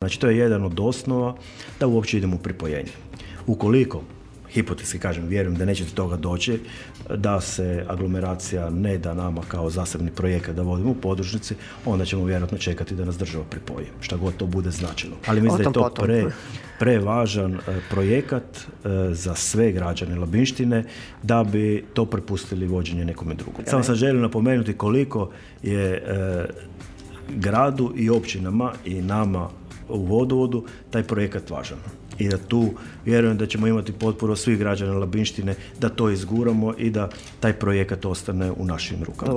Znači, to je jedan od osnova da uopće idemo u pripojenje. Ukoliko, hipotetski kažem, vjerujem da neće do toga doći, da se aglomeracija ne da nama kao zasebni projekat da vodimo u podružnici, onda ćemo vjerojatno čekati da nas država pripoji, šta god to bude značilo. Ali mislim da je to prevažan projekat za sve građane Labinštine da bi to prepustili vođenje nekome drugom. Samo sam želio napomenuti koliko je gradu i općinama i nama u vodovodu taj projekat važan. I da tu vjerujem da ćemo imati potporu svih građana Labinštine da to izguramo i da taj projekat ostane u našim rukama.